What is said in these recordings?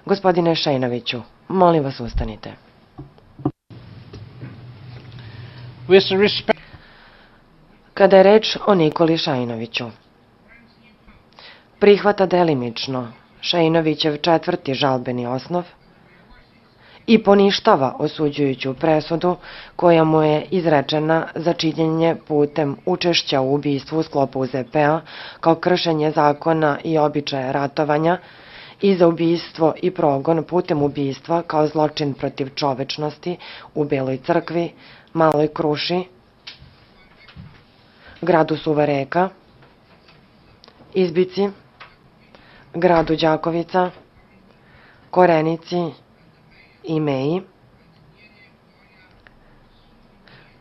Gospodine Šajinoviću, molim vas ustanite. Kada je reč o Nikoli Šajinoviću, prihvata delimično Šajinovićev 4. žalbeni osnov i poništava osuđujuću presudu koja mu je izrečena za činjenje putem učešća u ubistvu u sklopu UZP-a kao kršenje zakona i običaja ratovanja i za ubistvo i progon putem ubistva kao zločin protiv čovečnosti u Beloj crkvi, Maloj Kruši, gradu Suvareka, Izbici, gradu Đakovica, Korenici i Meji,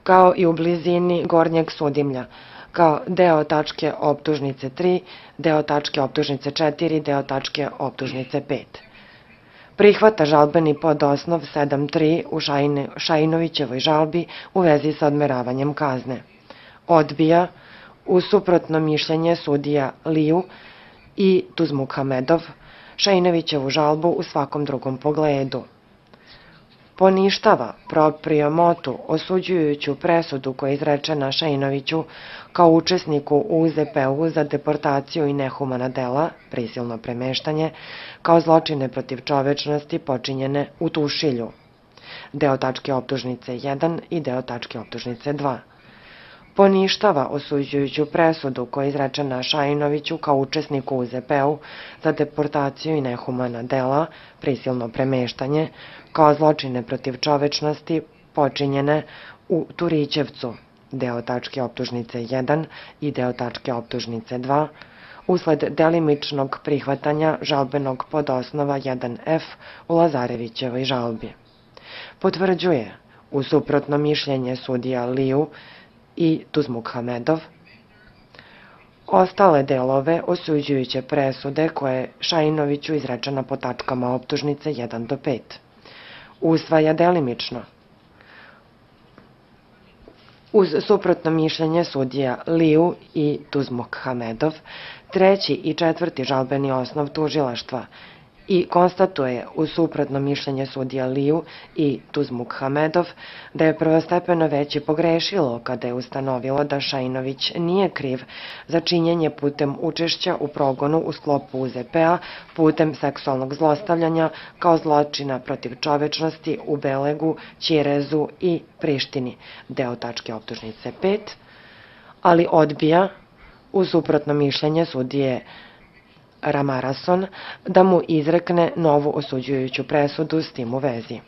kao i u blizini Gornjeg Sudimlja, kao deo tačke optužnice 3, deo tačke optužnice 4, deo tačke optužnice 5. Prihvata žalbeni podosnov 7.3 u Šajinovićevoj žalbi u vezi sa odmeravanjem kazne. Odbija u suprotno mišljenje sudija Liju i Tuzmukhamedov Šajinovićevu žalbu u svakom drugom pogledu. Poništava proprio motu osuđujuću presudu koja je izrečena Šajinoviću kao učesniku u UZP-u za deportaciju i nehumana dela, prisilno premeštanje, kao zločine protiv čovečnosti počinjene u Tušilju, deo tačke optužnice 1 i deo tačke optužnice 2. Poništava osuđujuću presudu koja je izrečena Šajinoviću kao učesniku u UZP-u za deportaciju i nehumana dela, prisilno premeštanje, kao zločine protiv čovečnosti počinjene u Turićevcu, deo tačke optužnice 1 i deo tačke optužnice 2, usled delimičnog prihvatanja žalbenog podosnova 1F u Lazarevićevoj žalbi. Potvrđuje, u suprotno mišljenje sudija Liju i Tuzmukhamedov, ostale delove osuđujuće presude koje je Šajinoviću izrečena po tačkama optužnice 1 do 5. Usvaja delimično. Uz suprotno mišljenje sudija Liju i Tuzmukhamedov, 3. i 4. žalbeni osnov tužilaštva i konstatuje uz suprotno mišljenje sudija Liju i Tuzmukhamedov da je prvostepeno veće pogrešilo kada je ustanovilo da Šajinović nije kriv za činjenje putem učešća u progonu u sklopu UZP-a putem seksualnog zlostavljanja kao zločina protiv čovečnosti u Belegu, Ćirezu i Prištini, deo tačke optužnice 5, ali odbija uz suprotno mišljenje sudije Ramarason da mu izrekne novu osuđujuću presudu s tim u vezi.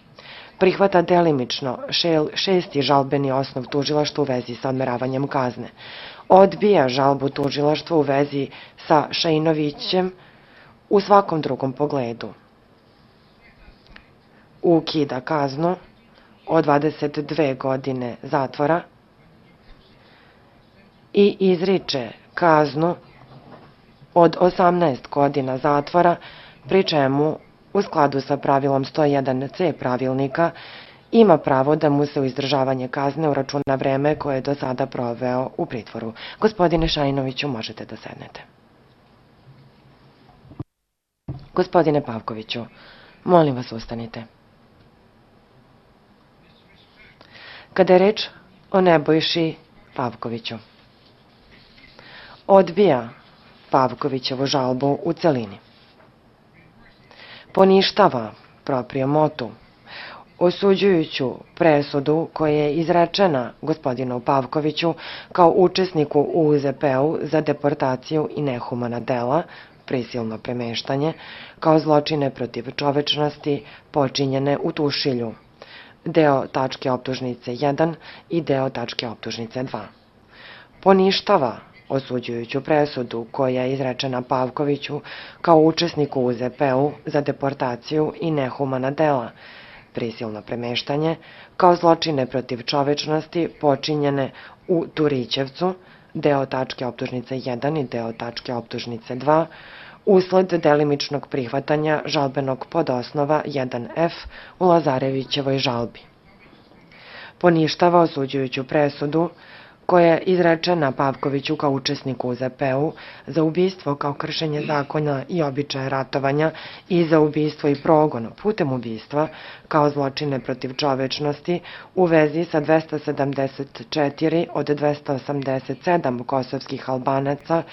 Prihvata delimično 6. žalbeni osnov tužilaštva u vezi sa odmeravanjem kazne. Odbija žalbu tužilaštva u vezi sa Šajinovićem u svakom drugom pogledu. Ukida kaznu od 22 godine zatvora i izriče kaznu od 18 godina zatvora, pri čemu, u skladu sa pravilom 101c pravilnika, ima pravo da mu se u izdržavanje kazne uračuna vreme koje je do sada proveo u pritvoru. Gospodine Šajinoviću, možete da sednete. Gospodine Pavkoviću, molim vas ustanite. Kada je reč o Nebojši Pavkoviću, odbija Pavkovićevu žalbu u celini. Poništava proprio motu osuđujuću presudu koja je izrečena gospodinu Pavkoviću kao učesniku u UZP-u za deportaciju i nehumana dela, prisilno premeštanje, kao zločine protiv čovečnosti počinjene u Tušilju, deo tačke optužnice 1 i deo tačke optužnice 2. Poništava osuđujuću presudu koja je izrečena Pavkoviću kao učesniku u UZP-u za deportaciju i nehumana dela, prisilno premeštanje, kao zločine protiv čovečnosti počinjene u Turićevcu, deo tačke optužnice 1 i deo tačke optužnice 2, usled delimičnog prihvatanja žalbenog podosnova 1F u Lazarevićevoj žalbi. Poništava osuđujuću presudu koja je izrečena Pavkoviću kao učesniku u ZP-u za ubistvo kao kršenje zakona i običaja ratovanja i za ubistvo i progon putem ubistva kao zločine protiv čovečnosti u vezi sa 274 od 287 kosovskih Albanaca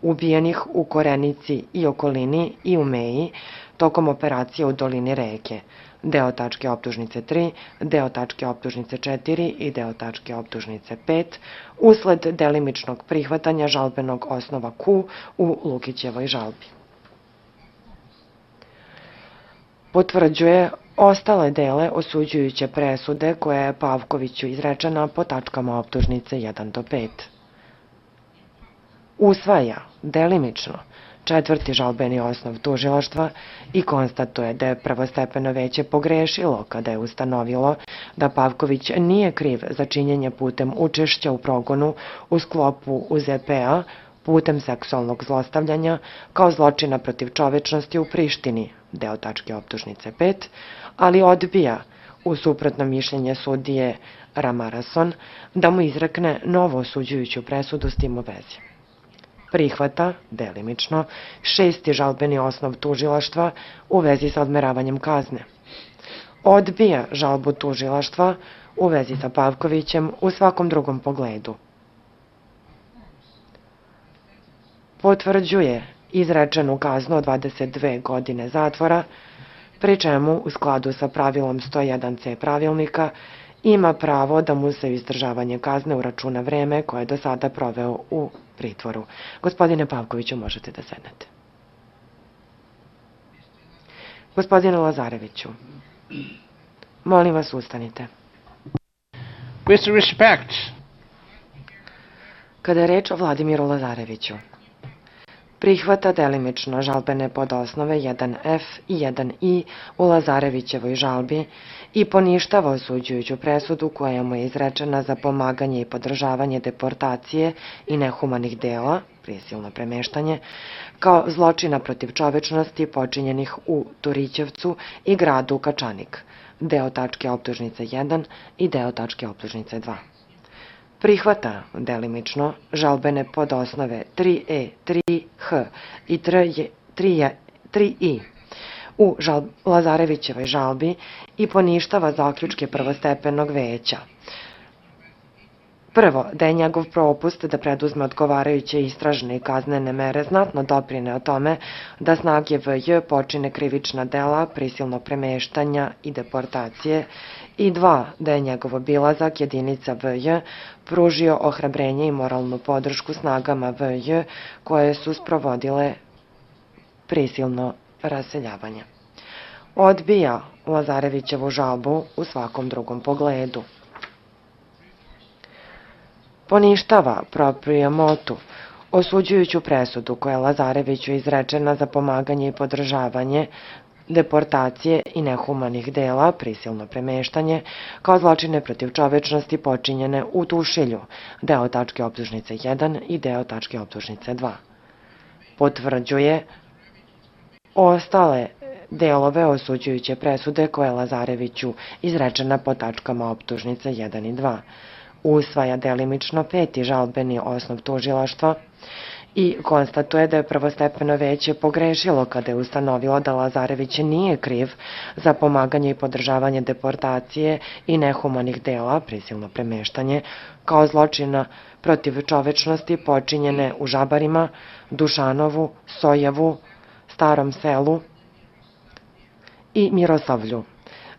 ubijenih u Korenici i okolini i u Meji tokom operacije u dolini reke, deo tačke optužnice 3, deo tačke optužnice 4 i deo tačke optužnice 5, usled delimičnog prihvatanja žalbenog osnova Q u Lukićevoj žalbi. Potvrđuje ostale dele osuđujuće presude koja je Pavkoviću izrečena po tačkama optužnice 1 do 5. Usvaja delimično četvrti žalbeni osnov tužilaštva i konstatuje da je prvostepeno veće pogrešilo kada je ustanovilo da Pavković nije kriv za činjenje putem učešća u progonu u sklopu UZP-a putem seksualnog zlostavljanja kao zločina protiv čovečnosti u Prištini, deo tačke optužnice 5, ali odbija u suprotno mišljenje sudije Ramarason da mu izrekne novo osuđujuću presudu s tim u vezi. Prihvata, delimično, šesti žalbeni osnov tužilaštva u vezi sa odmeravanjem kazne. Odbija žalbu tužilaštva u vezi sa Pavkovićem u svakom drugom pogledu. Potvrđuje izrečenu kaznu od 22 godine zatvora, pri čemu u skladu sa pravilom 101c pravilnika ima pravo da mu se izdržavanje kazne uračuna vreme koje je do sada proveo u pritvoru. Gospodine Pavkoviću, možete da sednete. Gospodine Lazareviću, molim vas, ustanite. With respect. Kada je reč o Vladimiru Lazareviću, prihvata delimično žalbene podosnove 1F i 1I u Lazarevićevoj žalbi i poništava osuđujuću presudu koja mu je izrečena za pomaganje i podržavanje deportacije i nehumanih dela, prisilno premeštanje, kao zločina protiv čovečnosti počinjenih u Turićevcu i gradu Kačanik, deo tačke optužnice 1 i deo tačke optužnice 2. Prihvata delimično žalbene podosnove 3E, 3H i 3I u Lazarevićevoj žalbi i poništava zaključke prvostepenog veća. Prvo, da je njegov propust da preduzme odgovarajuće istražne i kaznene mere znatno doprine o tome da snage VJ počine krivična dela prisilnog premeštanja i deportacije i dva, da je njegov obilazak jedinica VJ pružio ohrabrenje i moralnu podršku snagama VJ koje su sprovodile prisilno raseljavanje. Odbija Lazarevićevu žalbu u svakom drugom pogledu. Poništava proprio motu, osuđujuću presudu koja je Lazareviću izrečena za pomaganje i podržavanje deportacije i nehumanih dela, prisilno premeštanje, kao zločine protiv čovečnosti počinjene u Tušilju, deo tačke optužnice 1 i deo tačke optužnice 2. Potvrđuje ostale delove osuđujuće presude koje je Lazareviću izrečena po tačkama optužnice 1 i 2. Usvaja delimično peti žalbeni osnov tužilaštva i konstatuje da je prvostepeno veće pogrešilo kada je ustanovilo da Lazarević nije kriv za pomaganje i podržavanje deportacije i nehumanih dela, prisilno premeštanje, kao zločina protiv čovečnosti počinjene u Žabarima, Dušanovu, Sojevu, Starom selu i Miroslavlju,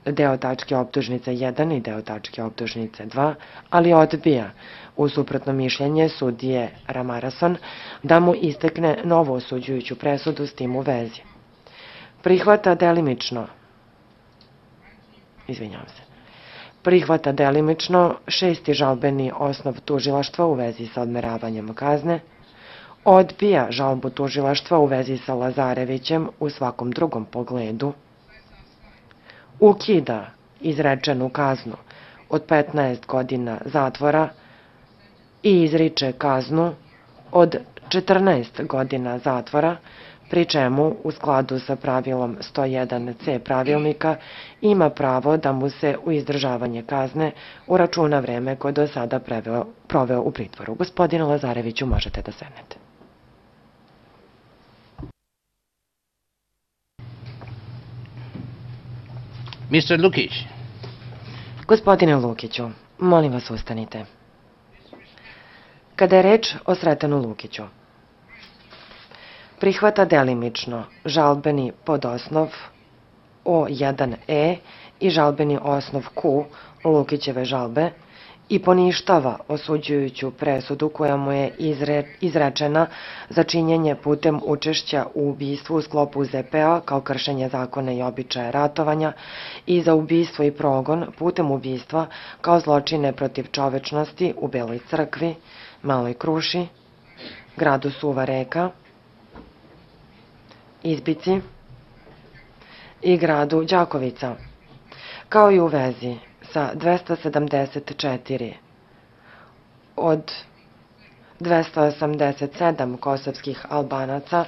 deo tačke optužnice 1 i deo tačke optužnice 2, ali odbija u suprotno mišljenje sudije Ramarason da mu istekne novo osuđujuću presudu s tim u vezi. Prihvata delimično šesti žalbeni osnov tužilaštva u vezi sa odmeravanjem kazne, odbija žalbu tužilaštva u vezi sa Lazarevićem u svakom drugom pogledu, ukida izrečenu kaznu od 15 godina zatvora i izriče kaznu od 14 godina zatvora pri čemu u skladu sa pravilom 101c pravilnika ima pravo da mu se u izdržavanje kazne uračuna vreme koje do sada proveo u pritvoru. Gospodine Lazareviću, možete da sednete. Mr. Lukic. Gospodine Lukiću, molim vas ustanite. Kada je reč o Sretenu Lukiću, prihvata delimično žalbeni podosnov O1E i žalbeni osnov Q Lukićeve žalbe i poništava osuđujuću presudu koja mu je izrečena za činjenje putem učešća u ubistvu u sklopu ZPA kao kršenje zakona i običaja ratovanja i za ubistvo i progon putem ubistva kao zločine protiv čovečnosti u Beloj crkvi, Maloj Kruši, gradu Suva Reka, Izbici i gradu Đakovica, kao i u vezi sa 274 od 287 kosovskih Albanaca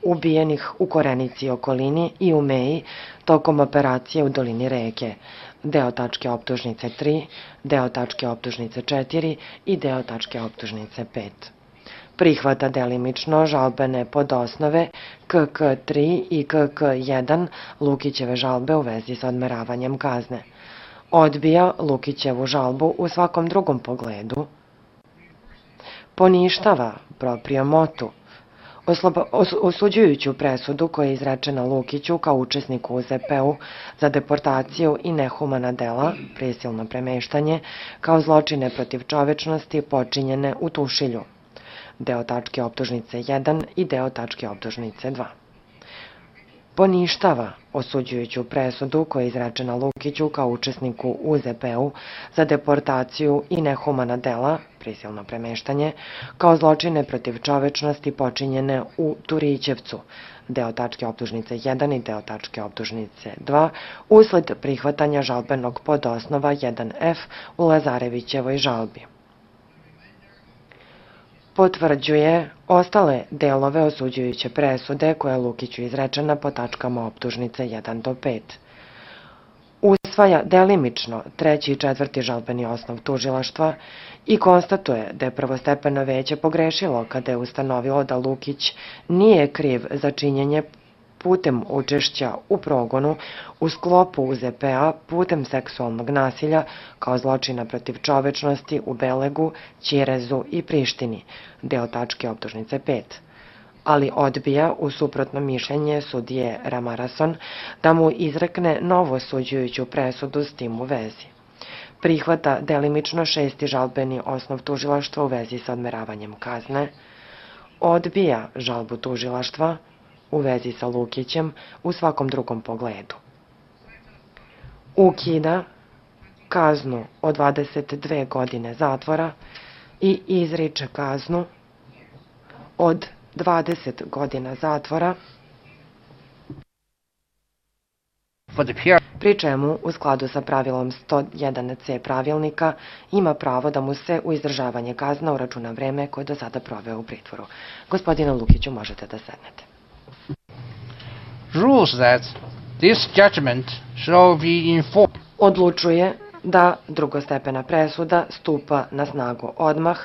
ubijenih u Korenici i okolini i u Meji tokom operacije u dolini reke, deo tačke optužnice 3, deo tačke optužnice 4 i deo tačke optužnice 5. Prihvata delimično žalbene podosnove KK3 i KK1 Lukićeve žalbe u vezi sa odmeravanjem kazne. Odbija Lukićevu žalbu u svakom drugom pogledu, poništava proprio motu, osuđujuću presudu koja je izrečena Lukiću kao učesniku u ZP-u za deportaciju i nehumana dela, prisilno premeštanje, kao zločine protiv čovečnosti počinjene u Tušilju, deo tačke optužnice 1 i deo tačke optužnice 2. Poništava osuđujuću presudu koja je izrečena Lukiću kao učesniku u ZP-u za deportaciju i nehumana dela, prisilno premeštanje, kao zločine protiv čovečnosti počinjene u Turićevcu, deo tačke optužnice 1 i deo tačke optužnice 2, usled prihvatanja žalbenog podosnova 1F u Lazarevićevoj žalbi. Potvrđuje ostale delove osuđujuće presude koja je Lukiću izrečena po tačkama optužnice 1 do 5. Usvaja delimično treći i četvrti žalbeni osnov tužilaštva i konstatuje da je prvostepeno veće pogrešilo kada je ustanovilo da Lukić nije kriv za činjenje putem učešća u progonu u sklopu UZP-a putem seksualnog nasilja kao zločina protiv čovečnosti u Belegu, Ćirezu i Prištini, deo tačke optužnice 5, ali odbija u suprotno mišljenje sudije Ramarason da mu izrekne novo osuđujuću presudu s tim u vezi. Prihvata delimično šesti žalbeni osnov tužilaštva u vezi sa odmeravanjem kazne, odbija žalbu tužilaštva u vezi sa Lukićem u svakom drugom pogledu. Ukida kaznu od 22 godine zatvora i izriče kaznu od 20 godina zatvora, pri čemu, u skladu sa pravilom 101c pravilnika, ima pravo da mu se u izdržavanje kazna uračuna vreme koje do sada proveo u pritvoru. Gospodine Lukiću, možete da sednete. Rules that this judgment shall be enforced. Odlučuje da drugostepena presuda stupa na snagu odmah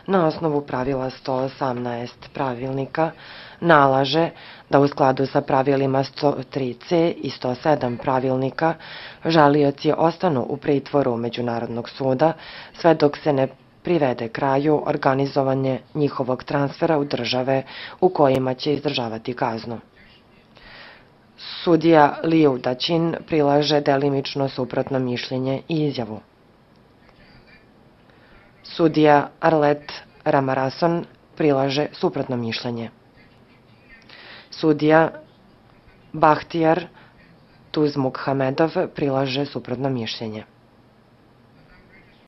na osnovu pravila 118 pravilnika, nalaže da u skladu sa pravilima 103c i 107 pravilnika žalioci ostanu u pritvoru Međunarodnog suda sve dok se ne privede kraju organizovanje njihovog transfera u države u kojima će izdržavati kaznu. Sudija Liu Daćin prilaže delimično suprotno mišljenje i izjavu. Sudija Arlet Ramarason prilaže suprotno mišljenje. Sudija Bahtijar Tuzmukhamedov prilaže suprotno mišljenje.